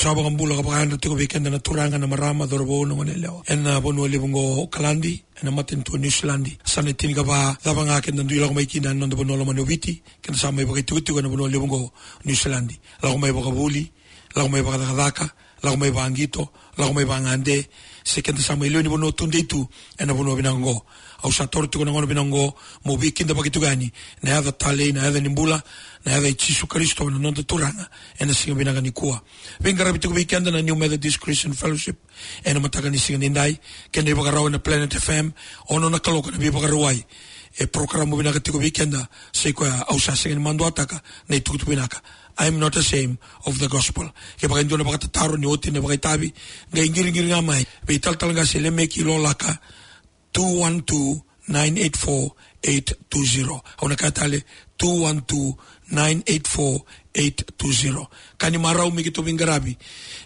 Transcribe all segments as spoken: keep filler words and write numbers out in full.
Sa vakabula ka vakayadra tiko vei keda na turaga, na marama, cauravou, na goneyalewa ena vanua levu oqo o Okaladi, ena matanitu o Niusiladi. Sa na tinikava cava ga keda dui lako mai kina ena noda vanua lomani o Viti, keda sa mai vakaitikotiko ena vanua levu oqo o Niusiladi. Lako mai vakavuli, lako mai vakacakacaka, lako mai vaqito, lako mai vagade, se keda sa mai lewe ni vanua tudei tu ena vanua vinaka oqo. Au sa taura tiko na gauna vinaka oqo meu veikidavaki tiko yani ena yaca talei, na yaca ni bula, na yaca i Jisu Karisito na noda Turaga, ena siga vinaka nikua. Veiqaravi tiko vei keda na New Methodist Christian Fellowship ena mataka ni siga nidai, kei na ivakarau ena Planet F M, ono na kaloko na Veivakarauwai. E porokaramu vinaka tiko vei keda, sa i koya au sa sega ni maduataka na itukutuku vinaka. I am not ashamed of the gospel. Kevaka e dua na vakatataro ni oti na vakaitavi, qai qiriqiri ga mai vei talatala qase Lemeki Lolaka, two one two, nine eight four, eight two zero. Au na kaya tale, two one two, nine eight four, eight two zero. Ka ni marau me keitou veiqaravi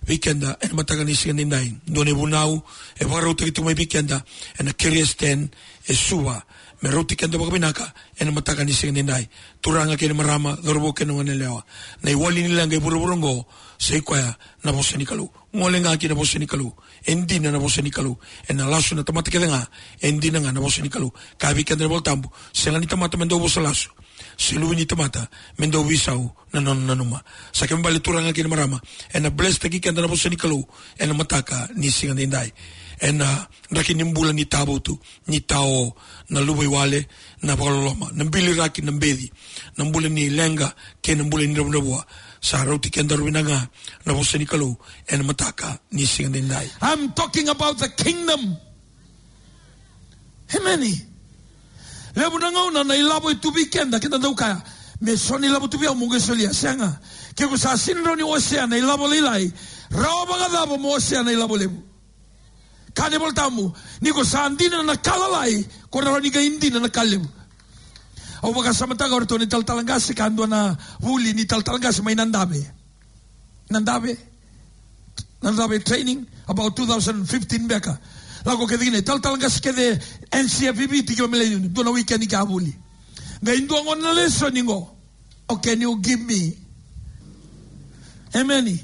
vei keda ena mataka ni siga nidai. Dua na ivunau e vakarautaki tiko mai vei keda ena Curious Ten e Suva, me rauti keda vakavinaka ena mataka ni siga nidai. Turaga kei na marama, cauravou kei na goneyalewa, na iwali ni leqa e vuravura oqo sa i koya na vosa ni Kalou. Gole ga ki na vosa ni Kalou. E dina na vosa ni Kalou. Ena lasu na tamata kece ga. E dina ga na vosa ni Kalou. Kaya vei keda na iVolatabu, sega ni tamata me dau vosa lasu, se luve ni tamata me dau veisau na nona nanuma. Sa kena ibalebale, turaga kei na marama, ena blesstaki keda na vosa ni Kalou ena mataka ni siga nidai. Ena draki ni bula ni tavutu, ni tao, na luvaiwale, na vakaloloma, na biliraki, na beci, na bula ni leqa kei na bula ni dravudravua. Sa rauti kedaru vinaka ga na vosa ni Kalou ena mataka ni siga nidai. I'm talking about the kingdom. Emeni. Levu na gauna na ilavo e tu vei keda, keda dau kaya, me so na ilavo tu vei au meu qai solia. Sega. Ke ko sa sega ni rawa ni wasea na ilavo lailai, rawa vakacava mo wasea na ilavo levu? Kaya na iVolatabu, ni ko sa dina na ka lalai, ko rawa ni qai dina na ka levu. Au vakasamataka o ratou na italatala qase, ka dua na vuli ni talatala qase mai Nadave. Nadave, Nadave training, about two thousand fifteen beka. Lako kece kina italatala qase kece, N C F V Viti, ki Vamilei Union, dua na weekend ka vuli. Qai dua gona na lesoni qo. Oh, can you give me? Emeni.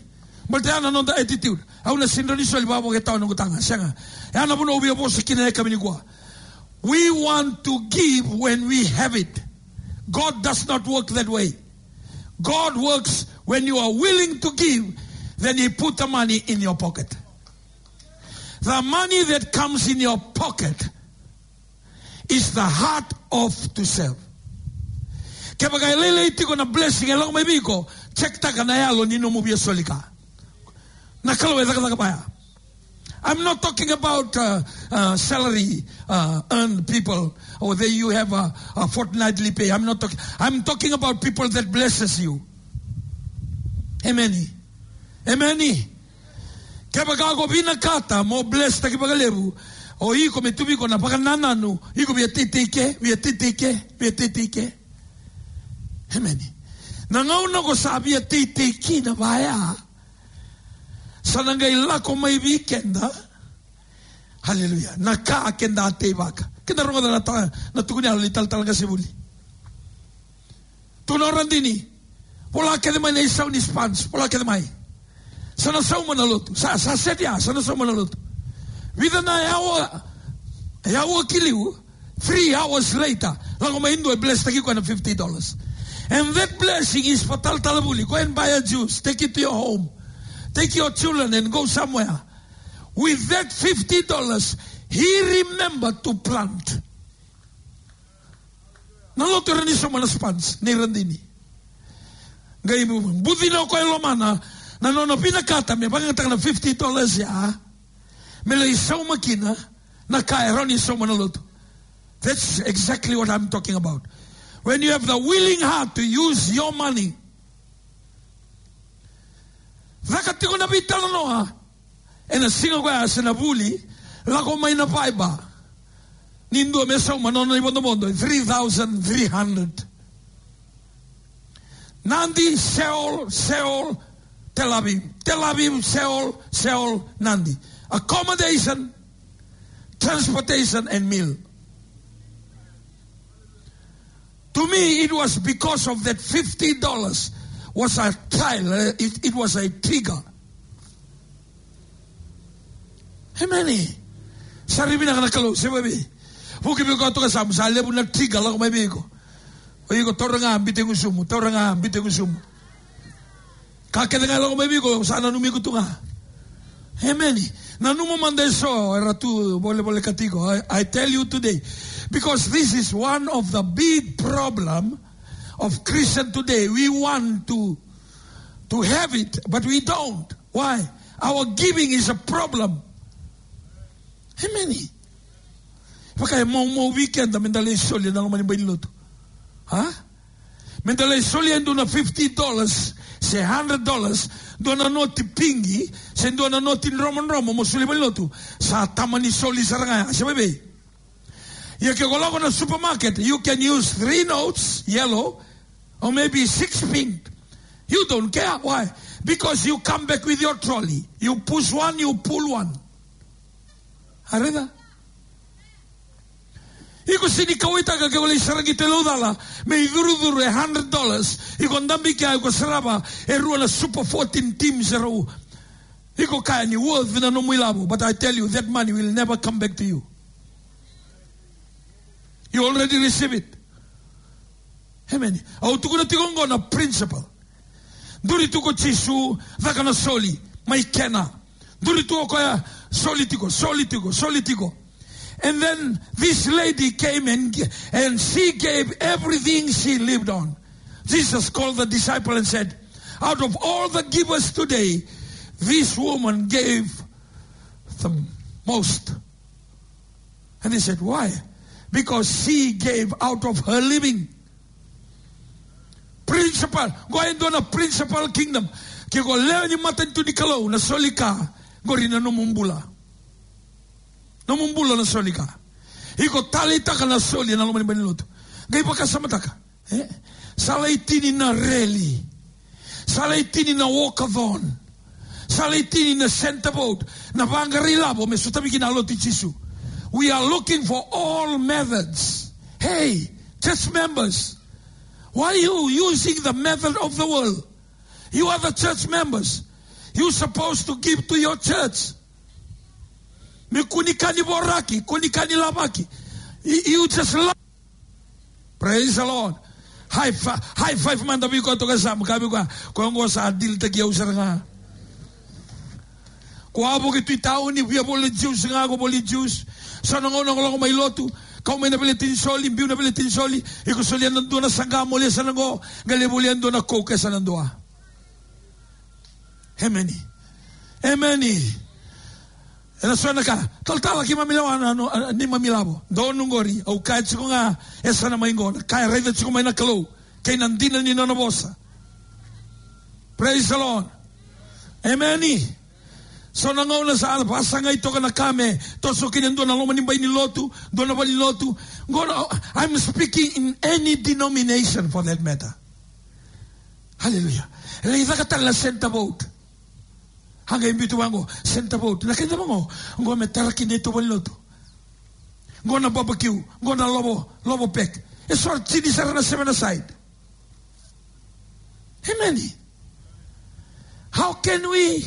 Baleta ya na noda attitude. Au na sega ni soli vavo ke tau na noqu taga. Sega. Ya na vanua au via vosa kina ena yakavi nikua. We want to give when we have it. God does not work that way. God works when you are willing to give, then He put the money in your pocket. The money that comes in your pocket is the heart of to serve. Kevaka e lailai tiko na blessing e lako mai vei iko, check taka na yalo ni nomu via soli ka. Na Kalou e cakacaka vaya. I'm not talking about, uh, uh, salary, uh, earned people, or that you have a, a fortnightly pay. I'm not talking. I'm talking about people that blesses you. Emeni. Emeni. Kevaka ko vinakata mo blesstaki vakalevu, o iko me tu vei iko na vakanananu, iko via teitei ke, via teitei ke, via teitei ke. Emeni. Na gauna ko sa via teitei kina vaya, sa na qai lako mai vei keda. Haleluya. Na ka keda a teivaka. Keda rogoca na ta-, na tukuni yalo ni talatala qase vuli. Tukuna o Radini. Vola kece mai na isau ni sponge. Vola kece mai. Sa na sauma na lotu. Sa, sa seti ya, sa na sauma na lotu. Vica na yawa, yawa ki liu. Three hours later, lako mai e dua e blesstaki koya na fifty dollars. And that blessing is for talatala vuli. Go and buy a juice, take it to your home, take your children and go somewhere. With that fifty dollars, he remembered to plant. Na lotu era ni sauma na sponge nei Radini. Qai bucina o koya e lomana na nona vinakata me vakayagataka na fifty dollars ya, me lai sauma kina na ka e rawa ni sauma na lotu. That's exactly what I'm talking about. When you have the willing heart to use your money. Caka tiko na veitalanoa ena siga koya se na vuli, lako mai na Viber ni dua me sauma na nona ivodovodo, three thousand three hundred. Nadi, Seoul, Seoul, Tel Aviv. Tel Aviv, Seoul, Seoul, Nadi. Accommodation, transportation and meal. To me, it was because of that fifty dollars was a trial, uh, it, it was a trigger. Emeni. Sa ri vinaka na Kalou, se vei. Vuki vei koya toka sa, sa levu na trigger lako mai vei iko. O iko taura ga, biuta i gusumu, taura ga, biuta i gusumu. Ka kece ga e lako mai vei iko, sa nanumi iko tu ga. Emeni. Nanuma mada eso era tu volevole katiko. I, I tell you today, because this is one of the big problem of Christian today. We want to, to have it, but we don't. Why? Our giving is a problem. Emeni. Vaka e maumau vei keda meda lai soli ena loma ni bai ni lotu. Ha? Meda lai soli e dua na fifty dollars, se hundred dollars, dua na noti pigi, se dua na noti dromodromo mo soli bai ni lotu. Sa tama ni soli sara ga ya, se vei. Ia ke o lako na supermarket, you can use three notes, yellow, or maybe six pink. You don't care. Why? Because you come back with your trolley. You push one, you pull one. Areda? Iko sega ni kauwaitaka ke o lai saraga i Tailevu cala me icurucuru e hundred dollars. Iko dabe kea, iko sarava e rua na Super fourteen teams e rau. Iko kaya ni worth na nomu ilavo, but I tell you, that money will never come back to you. You already receive it. Emeni. Au tukuna tiko oqo na principle. Duri tu ko Jisu, caka na soli mai kena. Duri tu o koya, soli tiko, soli tiko, soli tiko. And then this lady came and, and she gave everything she lived on. Jesus called the disciple and said, "Out of all the givers today, this woman gave the most." And he said, "Why?" "Because she gave out of her living." Principle, qo e dua na principle kingdom. Ke o lewe ni matanitu ni Kalou, na soli ka, qori na nomu bula. Nomu bula na soli ka. Iko taleitaka na soli ena loma ni bai ni lotu. Qai vakasamataka. E? Sa lai tini na reli. Sa lai tini na walkathon. Sa lai tini na centerboat. Na vaqara ilavo me sotavi kina na lotu i Jisu. We are looking for all methods. Hey, church members, why are you using the method of the world? You are the church members. You supposed to give to your church. Me kua ni ka ni voraki, kua ni ka ni lavaki. You, you just love. Praise the Lord. High fi-, high five mada vei koya toka sa, mo kaya vei koya, koya qo sa dilitaki au sara ga. Ko a vuki tu i tauni, via voli juice ga, ko voli juice. So na gauna ko lako mai lotu, kau mai na veleti ni soli, biu na veleti ni soli, iko solia na dua na saqa, mo lia sa na qo, qai lai volia dua na Coke sa na dua. Emeni. Emeni. Ena so na ka, talatala keimami lewa na, no, a, neimami lavo. Donu qori, au kaya tiko ga, e sa na mai qo, na ka e raica tiko mai na Kalou, kei na dina ni nona vosa. Praise the Lord. Emeni. So na gauna sa vasagai toka na ka me toso kina dua na loma ni bai ni lotu, dua na vale ni lotu. Qo na, I'm speaking in any denomination for that matter. Hallelujah. Lai caka tale na centerboat. A qai biuta vaqo, centerboat. Na kena vaqo, qo me tara kina e tu vale ni lotu. Qo na barbecue, qo na lovo, lovo pack. E so tini sara na seven aside. Emeni. How can we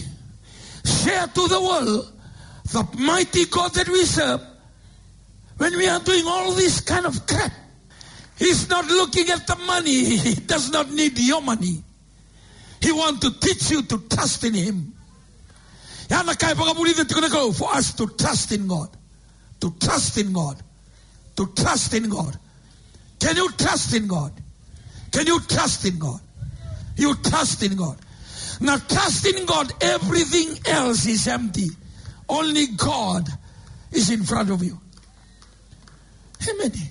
share to the world the mighty God that we serve when we are doing all this kind of crap? He's not looking at the money. He does not need your money. He want to teach you to trust in him. Ya na ka e vakavulica tiko na Kalou, for us to trust in God. To trust in God. To trust in God. Can you trust in God? Can you trust in God? You trust in God. Now trust in God, everything else is empty. Only God is in front of you. Emeni.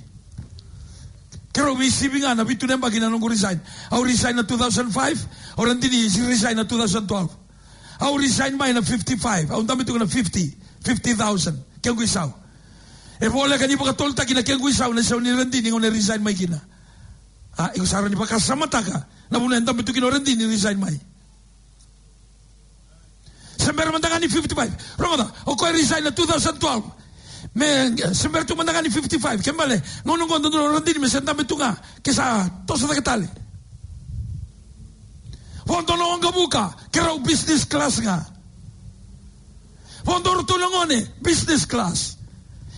Keirau veisivi ga na vitu na yabaki na noqu resign. Au resign na two thousand five, au radini resign na two thousand twelve. Au resign mai na fifty-five, au dabe tu na fifty, fifty thousand. Kequ isau. E voleka ni vakatolutaki na kequ isau na isau ni radini gauna e resign mai kina. A, iko sa rawa ni vakasamataka na vanua e dabe tu kina o radini resign mai. Se bera mada ga ni fifty-five. Rogoca, o koya resign na two thousand twelve. Me, se bera tu mada ga ni fifty-five. Ke bale, gauna qo dodonu o radini me se dabe tu ga. Ke sa toso cake tale. Vodo na waqavuka, keirau business class ga. Vodo ratou na gone business class.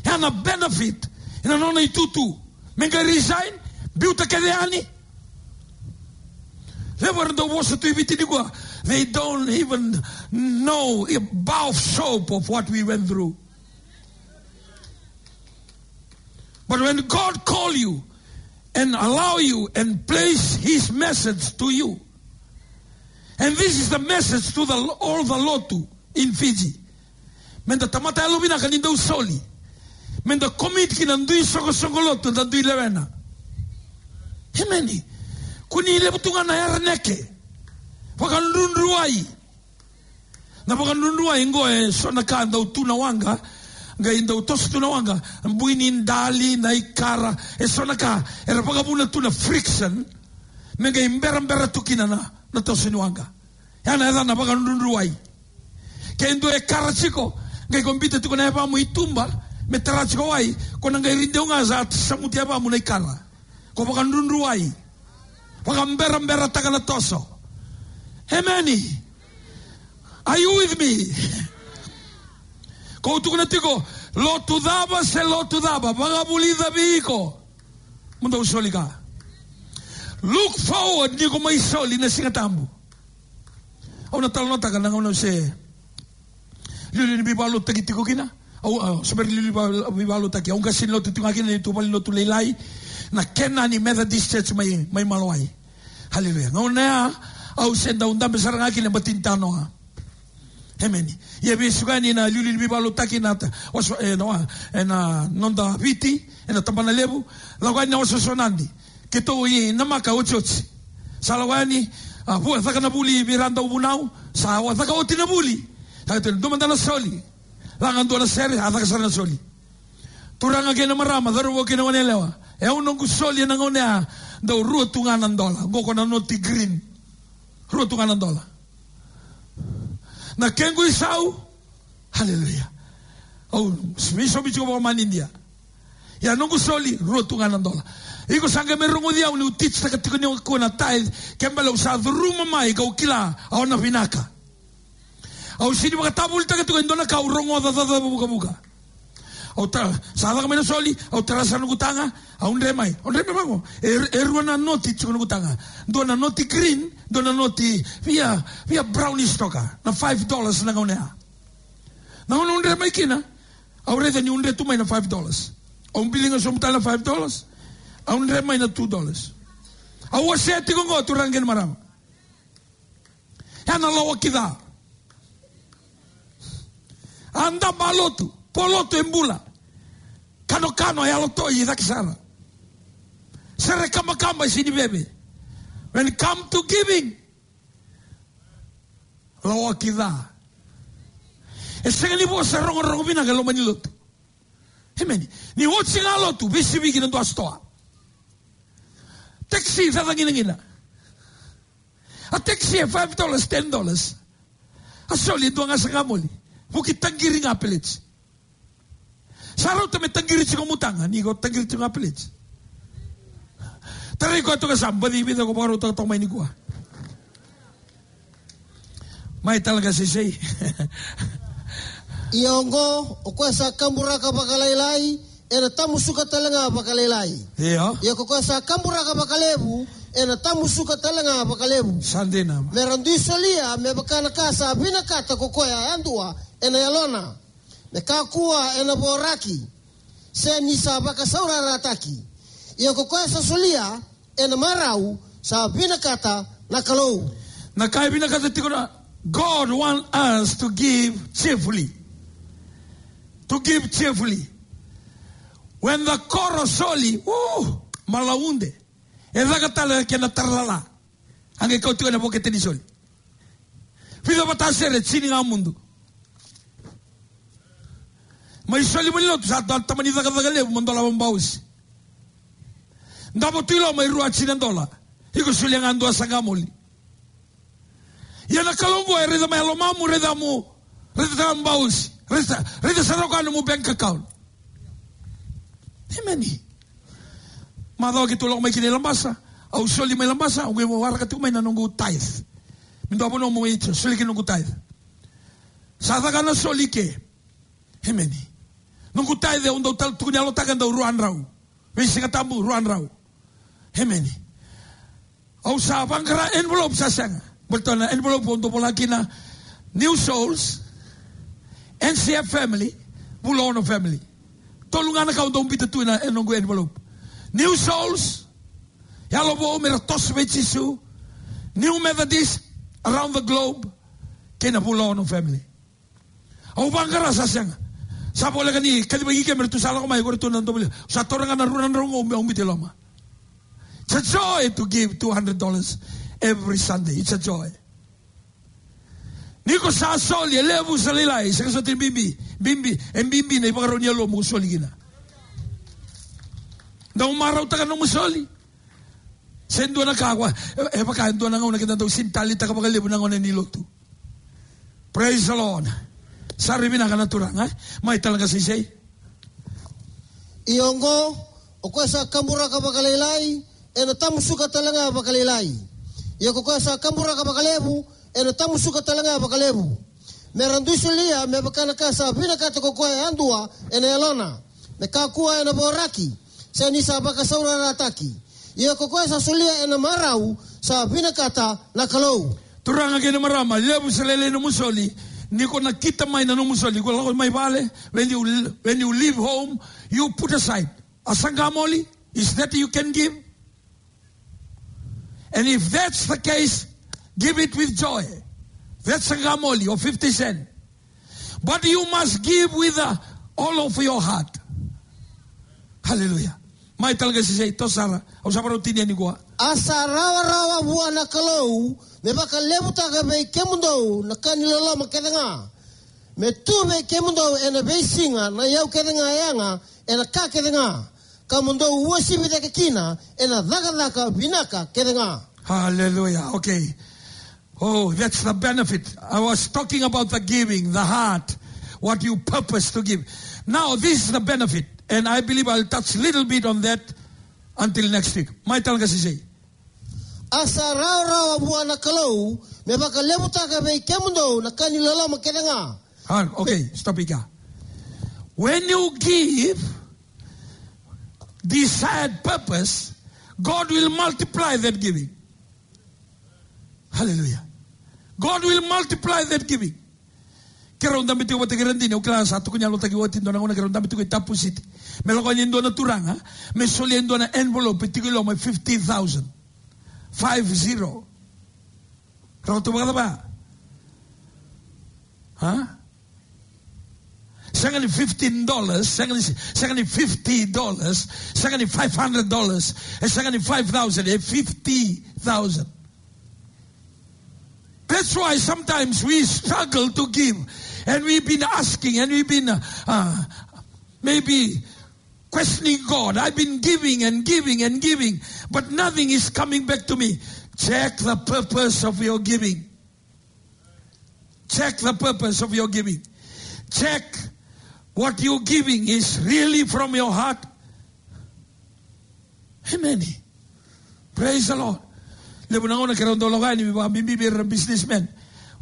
Ena benefit ena nona itutu. Me qai resign, biuta kece yani. Levu era dau vosa tu i Viti nikua. They don't even know a bar of soap of what we went through. But when God call you and allow you and place his message to you, and this is the message to the, all the lotu in Fiji. Meda tamata yalovinaka ni dau soli. Meda commit ki na dui soqosoqo lotu, da dui lewena. Emeni. Kua ni levu tu ga na yaraneke. Vakadrudruwai. Na vakadrudruwai qo e so na ka dau tu na waqa, qai dau toso tu na waqa, bui ni dali, na ikara, e so na ka, era vakavuna tu na friction, me qai berabera tu kina na, na toso ni waqa. Ya na yacana vakadrudruwai. Ke dua e kara tiko, qai ko biuta tiko na yavamu i tuba, me tara tiko wai, ko na qai rideu ga sa samuti yavamu na ikara. Ko vakadrudruwai. Vakaberaberataka na toso. Emeni. Are you with me? Ko tukuna tiko, lotu cava se lotu cava, vakavulica vei iko. Mo dau soli ka. Look forward ni ko mai soli na Siga Tabu. Au na talanoataka na gauna au se liuliu ni veivakalotutaki tiko kina. Au, au se bera ni liuliu veiva-, veivakalotutaki. Au qase ni lotu tiko ga kina, ni tu valenilotu lailai. Na Kenani Methodist Church mai, mai Malawai. Haleluya. Gauna ya, au se dau dabe sara ga kina e bati ni tanoa. Emeni. Ia veisiko yani na liuliu ni veivakalotutaki na ta-, waso, e, na wa-, e, na noda Viti, e na Tabanalevu, lako yani na wasewase o Nadi. Keitou i namaka otioti. Sa lako yani, a, vua, caka na vuli vei ira dau vunau, sa wa caka oti na vuli. Sa keitou dua mada na soli. Laga dua na sere, a caka sara na soli. Turaga kei na marama, cauravou kei na goneyalewa. E au noqu soli ena gauna ya, dau rua tu ga na dola. Qo ko na noti green. Rua tu ga na dola. Na kequ isau, haleluya. Au, mi somi tiko vakamanidia. Ia noqu soli, rua tu ga na dola. Iko sa qai mai rogoci au niu teach-taka tiko nikua na tithe, ke bale au sa curuma mai kau kila, au na vinaka. Au sini vakatavulitaka tiko e dua na ka au rogoca cava vukavuka. Au ta, sa caka mai na soli, au tara sara noqu taga, au dre mai. Au dre mai vaqo. E, e rua na noti tiko noqu taga. Dua na noti green, dua na noti via, via brownish toka. Na five dollars na gauna ya. Na gauna au dre mai kina, au raica niu dre tu mai na five dollars. Au biliga sobu tale na five dollars. Au dre mai na two dollars. Au wasea tiko qo, turaga kei na marama. Ya na lawaki ca. A daba lotu, po lotu e bula. Kanokano e yalo toi i cake sara. Sere kabakaba e sini veve. When it come to giving, lawaki ca. E sega ni vosa rogorogo vinaka e loma ni lotu. Emeni. Ni oti ga lotu, veisiviki na dua sitoa. Taxi, caca ginagina. A taxi e five dollars, ten dollars. A soli e dua ga sakamoli. Vuki taqiri ga peleti. Sa rauta me taqiri tiko mutaga, ni ko taqiri tiko ga peleti. Tarai koya toka sa baci vica ko vakarautaka toka mai nikua. Mai tale ga seisei. Ia oqo, o koya sa kaburaka vakalailai, ena tamusuka tale ga vakalailai. Io. Ia ko koya sa kaburaka vakalevu, ena tamusuka tale ga vakalevu. Sa dina. Me ra dui solia, me vaka na ka sa vinakata ko koya yadua, ena yalona. Me kakua, ena voraki. Se ni sa vakasaurarataki. Ia ko koya sa solia, ena marau, sa vinakata na Kalou. Na ka e vinakata tiko na, God want us to give cheerfully. To give cheerfully. When the koro soli, uh, malaude. E caka tale kena taralala. A qai kau tiko ena vokete ni soli. Vica vata sere, tini ga mudu. Mai soli mai lotu, sa dua tamani cakacaka levu, mo dolava bausi. Davo tu i loma e rua tini na dola. Iko solia ga dua sakamoli. Ia na Kalou qo e raica mai lomamu, raica mu, raica tale bausi, raica, raica sara o koya nomu bank account. Emeni. Macawa keitou lako mai kina i Labasa, au soli mai Labasa, au qai waraka tiko mai na noqu tithe. Me dua vanua mo i soli kina noqu tithe. Sa A caka na soli ke. Emeni. Noqu tithe au dau tukuni yalotaka e dau rua na drau. Veisiga Tabu rua na drau. Emeni. Au sa vaqara envelope sa sega. Baleta na envelope au dau vola kina New Souls, N C F family, Vula Ono family. Tolu ga na ka au dau biuta tu ena noqu envelope. New Souls, Yalo Vou me ra toso vei Jisu, New Methodist around the globe, kei na Vula Ono family. Au vaqara sa sega. Sa voleka ni kacivaki ke me ratou sa lako mai, ko ratou na dovoli. Sa taura ga na rua na drau qo meu biuta i loma. It's a joy to give two hundred dollars every Sunday. It's a joy. Ni ko sa soli, e levu se lailai, sega soti ni bibi, bibi, e bibi na ivakarau ni yalomu ko soli kina. Dau marautaka na nomu soli. Se dua na ka qo, e, e vaka e dua na gauna keda dau sini taleitaka vakalevu na gone ni lotu. Praise the Lord. Sa rui vinaka na Turaga, e? Mai tale ga seisei. Ia oqo, o koya sa kaburaka vakalailai, ena tamusuka tale ga vakalailai. Ia ko koya sa kaburaka vakalevu, ena tamusuka tale ga vakalevu. Me ra dui solia, me vaka na ka sa vinakata ko koya yadua, ena yalona. Me kakua ena voraki, se ni sa vakasaurarataki. Ia ko koya sa solia ena marau, sa vinakata na Kalou. Turaga kei na marama, levu se lailai nomu soli, ni ko nakita mai na nomu soli, ko lako mai vale, when you, when you leave home, you put aside. A saqa moli, is that you can give? And if that's the case, give it with joy. That's a saqa moli or fifty cent. But you must give with, uh, all of your heart. Hallelujah. Mai tale ga seisei, toso sara, au sa varau tinia nikua. A sa rawarawa vua na Kalou, me vakalevutaka vei kemudou na ka ni loloma kece ga. Me tu vei kemudou ena veisiga na iyau kece ga yaga, ena ka kece ga. Ka mo dou uasivi cake kina, ena cakacaka vinaka kece ga. Hallelujah. Okay. Oh, that's the benefit. I was talking about the giving, the heart, what you purpose to give. Now, this is the benefit, and I believe I'll touch little bit on that until next week. Mai tale ga seisei. A sa rawarawa vua na Kalou, me vakalevutaka vei kemudou na ka ni loloma kece ga. Ah, okay, stop it here. When you give desired purpose, God will multiply that giving. Hallelujah. God will multiply that giving. Keirau dabe tiko vata kei Radini, au kila sa tukuni yalotaki oti dua na gauna keirau dabe tiko i Tapu City. Me lako yani e dua na turaga, me solia e dua na envelope tiko i loma e fifty thousand. Five zero. Rau tu vakacava? Ha? Sega ni fifteen dollars, sega ni, sega ni fifty dollars, sega ni five hundred dollars, e sega ni five thousand, e fifty thousand. That's why sometimes we struggle to give, and we've been asking, and we've been, uh, uh, maybe questioning God. I've been giving and giving and giving, but nothing is coming back to me. Check the purpose of your giving. Check the purpose of your giving. Check what you're giving is really from your heart. Amen. Praise the Lord. Levu na gauna keirau dau lako yani, me vakabibi vei ira na businessman.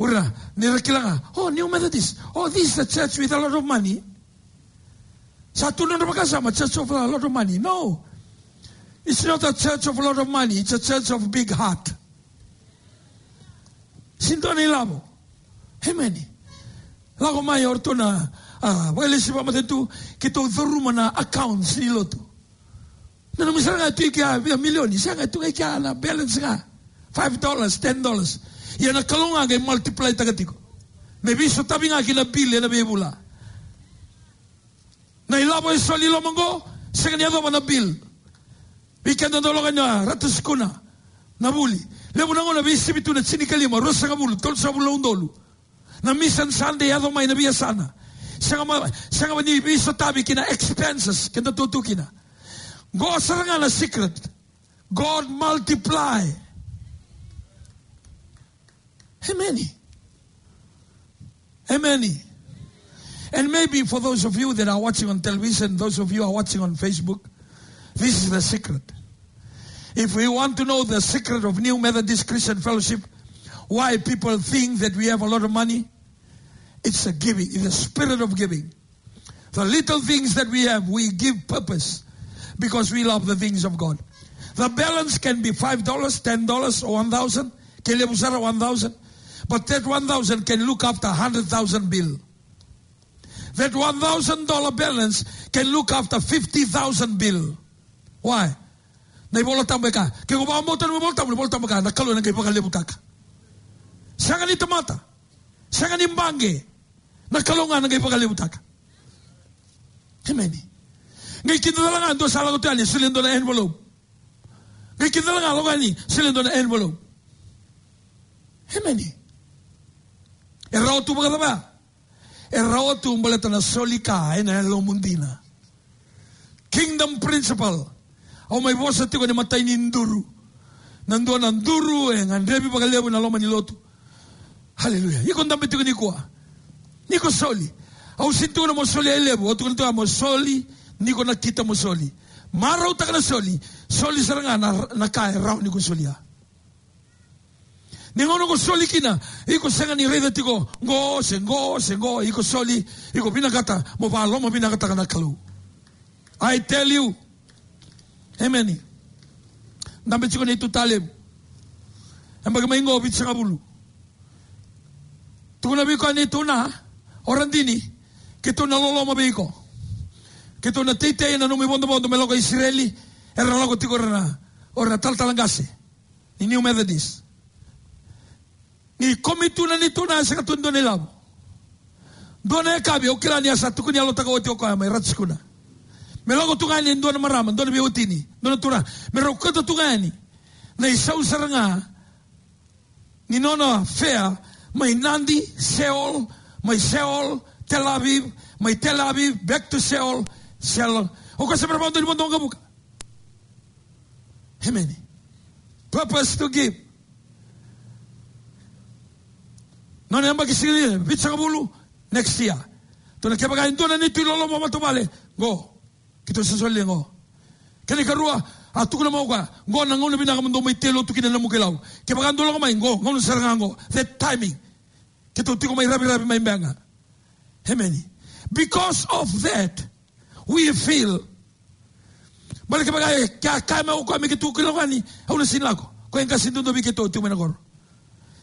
O ira, ni ra kila ga, "Oh, New Methodist. Oh, this is the church with a lot of money." Sa tu na nodra vakasama, church of a lot of money. No. It's not a church of a lot of money. It's a church of big heart. Sega ni dua na ilavo. Amen. Lako mai o ratou na, ah, vakalesi vakamatanitu, keitou curuma na accounts ni lotu. Na nomu sara ga tu i kea, via milioni, sega, tu ga i kea na balance ga. Five dollars, ten dollars. Ia na Kalou ga qai multiply taka tiko. Me veisotavi ga ki na bill ena veivula. Na ilavo e soli i loma qo, sega ni yacova na bill. Vei keda dau lako ina Ratu Sukuna, na vuli. Levu na gauna veisivi tu na tinikalima, ruasagavulu, tolusagavulu na udolu. Na Mission Sunday yaco mai na veiyasana. Sega ma, sega ni veisotavi ki na expenses keda tu tu kina. Qo sara ga na secret. God multiply. Amen. Amen. And maybe for those of you that are watching on television, those of you are watching on Facebook, this is the secret. If we want to know the secret of New Methodist Christian Fellowship, why people think that we have a lot of money, It's a giving, it's a spirit of giving. The little things that we have, we give purpose because we love the things of God. The balance can be five dollars, ten dollars, or one thousand. Ke levu sara, one thousand. But that one thousand can look after a hundred thousand bill. That one thousand dollar balance can look after fifty thousand bill. Why? Na iVola Tabu e kaya, ke ko vakabauta na iVola Tabu, na iVola Tabu e kaya, na Kalou ena qai vakalevutaka. Sega ni tamata, sega ni baqe, na Kalou ga ena qai vakalevutaka. Emeni. Qai kidacala ga dua sa lako tu yani, solia e dua na envelope. Qai kidacala ga lako yani, solia e dua na envelope. Emeni. E rawa tu vakacava? E rawa tu baleta na soli ka ena yalomu dina. Kingdom principle. Au mai vosa tiko ni matai ni duru. Na dua na duru e gadrevi vakalevu ena loma ni lotu. Haleluya. Iko dabe tiko nikua. Ni ko soli. Au sega ni tukuna mo soli e levu. Au tukuna tiko mo soli. Ni ko nakita mo soli. Marautaka na soli. Soli sara ga na, na ka e rawa ni ko solia. Ni gauna ko soli kina, iko sega ni raica tiko qo se qo se qo, iko soli, iko vinakata mo vakalomavinakataka na Kalou. I tell you. Emeni. Dabe tiko na neitou talevu. Yabaki mai qo vitusagavulu. Tukuna vei koya na neitou na, o Radini, keitou na loloma vei iko. Keitou na teitei ena nomu ivodovodo me lako i Isireli, era lako tiko o ira na, o ira na talatala qase ni New Methodist. Ni komi tu na neitou na, sega tu e dua na ilavo. Dua na yakavi, au kila ni a sa tukuni yalotaka oti o koya mai Ratu Sukuna. Me lako tu ga yani e dua na marama, dua na veiwatini, dua na turaga. Me rau kauta tu ga yani na isau sara ga ni nona fare mai Nadi, Seoul, mai Seoul, Tel Aviv, mai Tel Aviv, back to Seoul, Seoul. O koya se me ra vakadua ni vodo waqavuka. Emeni. Purpose to give. Nona yabaki sili, vitusagavulu, next year. Tukuna kevaka e dua na neitou iloloma matavuvale, qo. Keitou sa solia qo. Kena ikarua, a tukuna mai o koya, qo na gauna vinaka mo dou mai tei lotu kina na Namuka iLau. Kevaka dou lako mai, qo, gauna sara ga qo. That timing. Keitou tiko mai Raviravi mai Beqa. Emeni. Because of that, we feel. Baleta kevaka e, ke a kaya mai o koya me keitou lako yani, au na sega ni lako. Koya e qase duadua vei keitou tiko mai na koro.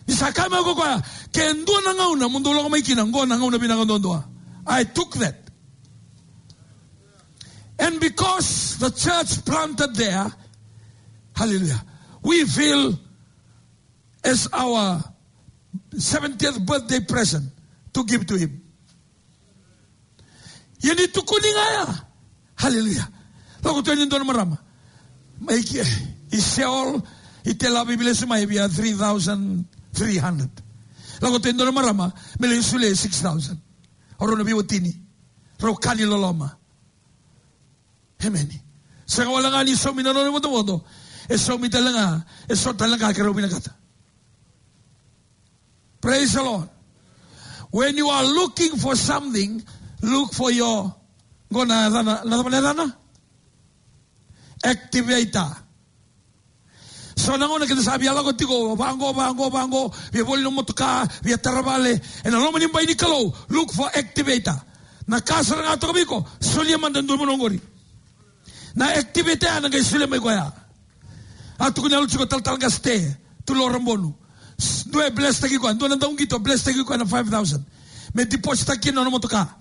Ni sa kaya mai o koya, ke dua na gauna mo dou lako mai kina, qo na gauna vinaka duadua. I took that. And because the church planted there, hallelujah, we feel as our seventieth birthday present to give to him. Ia ni tukuni ga ya. Hallelujah. Lako tu yani e dua na marama. Mai ke, i Seoul, i Tel Aviv, i lesu mai via three thousand three hundred. Lako tu yani e dua na marama, me lai solia six thousand. O rau na veiwatini. Rau ka ni loloma. Emeni. Sega wale ga ni saumi na nona ivodovodo. E saumi tale ga, e so tale ga ke rau vinakata. Praise the Lord. When you are looking for something, look for your, qo na yacana, na cava na yacana? Activator. So na gauna keda sa via lako tiko, vaqo, vaqo, vaqo, via voli na motoka, via tara vale, ena loma ni bai ni Kalou, look for activator. Na ka sara ga toka vei iko, solia mada e dua na vanua qori. Na activator ya na qai solia mai koya. A tukuna yalo tiko talatala qase Te, Tulo Rabonu. S-, dua e blesstaki koya, dua na dauqito blesstaki koya na five thousand. Me deposittaki kina na nona motoka.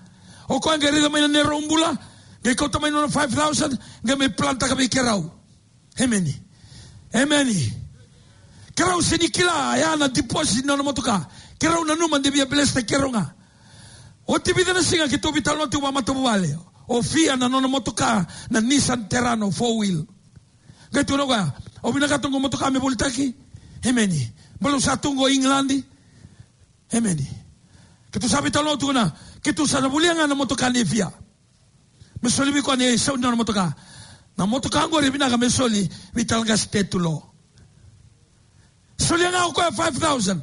O koya qai raica mai na neirau bula, qai kauta mai na nona five thousand, qai mai plantaka vei keirau. Emeni. Emeni. Keirau sega ni kila ya na deposit ni nona motoka. Keirau nanuma de via blesstaki keirau ga. Oti vica na siga keitou veitalanoa tiko vakamatavuvale. O Fia na nona motoka na Nissan Terrano four wheel. Qai tukuna o koya, au vinakata qo motoka me volitaki. Emeni. Baleta au sa tu qo England. Emeni. Keitou sa veitalanoa tiko na, keitou sa na volia ga na motoka nei Fia. Me soli vei koya na isau ni nona motoka. Na motoka qori e vinaka me soli vei talatala qase Te Tulo. Solia ga o koya five thousand.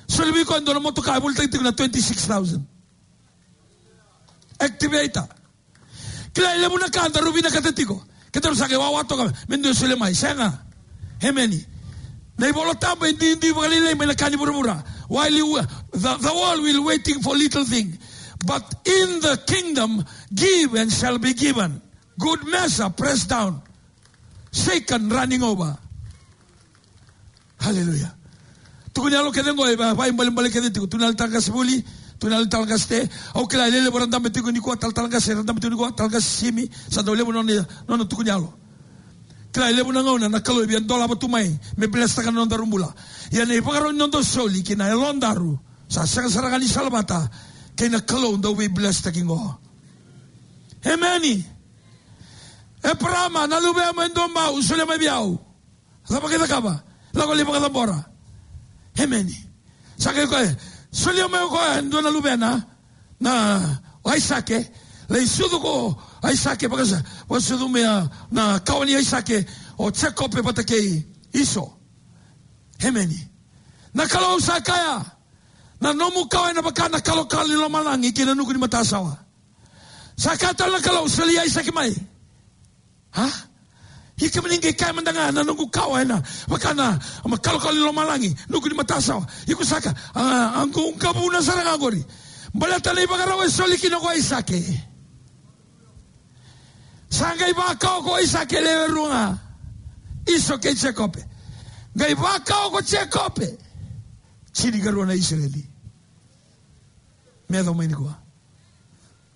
Soli vei koya e dua na motoka e volitaki tiko na twenty-six thousand. Activator. Kila e levu na ka daru vinakata tiko. Kedaru sa qai wawa toka me dua e solia mai. Sega. Emeni. Na iVola Tabu e duidui vakalailai mai na ka ni vuravura. While you, the, the world will waiting for little thing, but in the kingdom, give and shall be given. Good measure, pressed down, shaken, running over. Hallelujah. Tukuni yalo kece qo, e va, vaibalebale kece tiko. Tukuni yalo talatala qase vuli, tukuni yalo talatala qase te. Au kila e levu era dabe tiko nikua, talatala qase era dabe tiko nikua, talatala qase Simi, sa dau levu nona, nona tukuni yalo. Kila e levu na gauna na Kalou e via dolava tu mai me blesstaka na nodaru bula. Ia na ivakarau ni noda soli ki na yalodaru, sa sega sara ga ni salavata kei na Kalou dau veiblesstaki qo. Emeni. Eparama, na luvemu e dua bau, solia mai vei au. Cava qai cakava? Lako lai vakacabora. Emeni. Sa qai koya, solia mai o koya e dua na luvena, na, o Aisake. Lai sucu ko Aisake, vakasa, vakasucu mai a, na kawa ni Aisake, o Jekope vata kei Iso. Emeni. Na Kalou sa kaya, na nomu kawa ena vaka na kalokalo ni lomalagi kei na nuku ni matasawa. Sa kaya tale na Kalou, solia Aisake mai. Ha? Ia kemuni qai kaya mada ga na noqu kawa ena vaka na, ma, kalokalo ni lomalagi, nuku ni matasawa. Iko sa kaya, a, a qu, qavuna sara ga qori. Baleta na ivakarau e soli kina ko Aisake. Sa qai vakawa ko Aisake, lewe rua ga, Iso kei Jekope. Qai vakawa ko Jekope, tinikarua na Isireli. Me yaco mai nikua.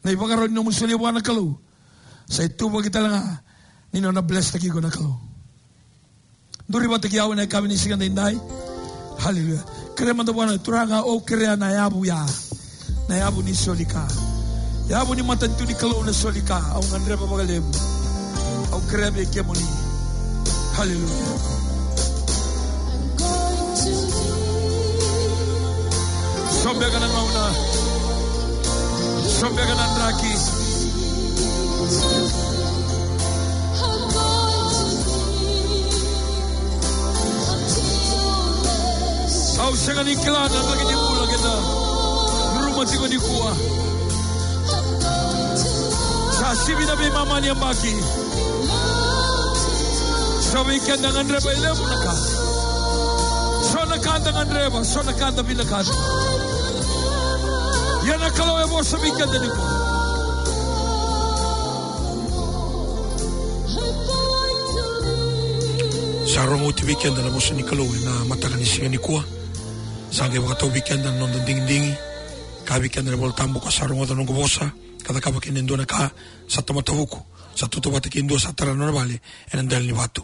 Na ivakarau ni nomu solia vua na Kalou, sa ituvaki tale ga ni nona blesstaki iko na Kalou. Duri vata kei au ena yakavi ni siga daidai. Haleluya. Kerea mada vua na Turaga, au kerea na yavu ya, na yavu ni soli ka, yavu ni matanitu ni Kalou na soli ka. Au gadreva vakalevu. Au kerea vei kemuni. Haleluya. So beka na gauna, so beka na draki. Au sega ni kila na draki ni bula keda curuma tiko nikua. Sa sivi na veimama ni yabaki. So vei keda gadreva e levu na ka. So na ka da gadreva, so na ka da vinakata. Ia na Kalou e vosa vei keda nikua. Sa rogo oti vei keda na vosa ni Kalou ena mataka ni siga nikua. Sa qai vakatau vei keda na noda digidigi. Kaya vei keda na iVolatabu, ko sa rogoca na noqu vosa ka cakava kina e dua na ka, sa tamata vuku, sa tautauvata kei dua sa tara na nona vale ena dela ni vatu.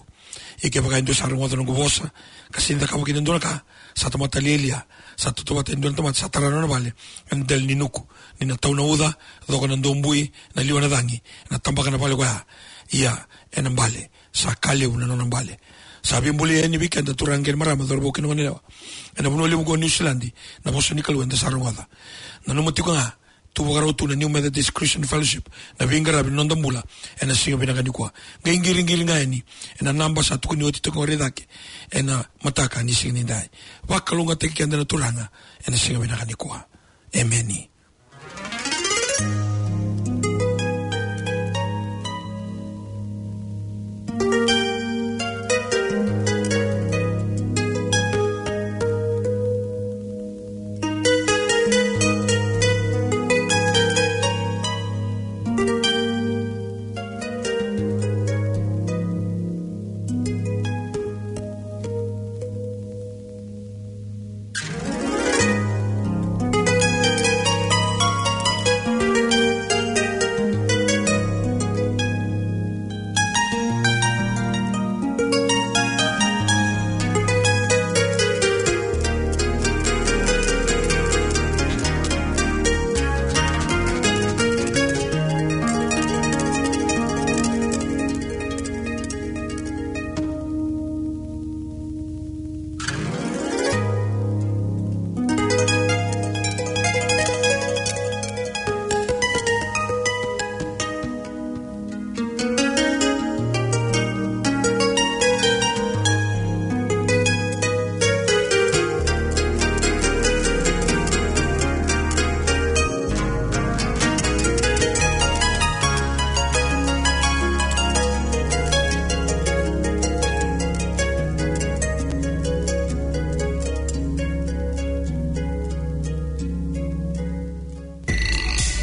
Ia kevaka e dua sa rogoca na noqu vosa ka sega ni cakava kina e dua na ka, sa tamata lialia, sa tautauvata e dua na tamata sa tara na nona vale ena dela ni nuku, ni na tau na uca, coka na dobui, na liwa na cagi, ena tabaka na vale koya. Ia ena bale, sa ka levu na nona bale. Sa veibolei yani vei keda turaga kei na marama, cauravou kei na goneyalewa ena vanua levu ko Niusiladi na vosa ni Kalou eda sa rogoca. Nanuma tiko ga, tu vakarau tu na New Methodist Christian Fellowship na veiqaravi ni noda bula ena siga vinaka nikua. Qai qiriqiri ga yani ena naba sa tukuni oti toka qori cake ena mataka ni siga nidai. Vakalougatataki keda na Turaga ena siga vinaka nikua. Emeni.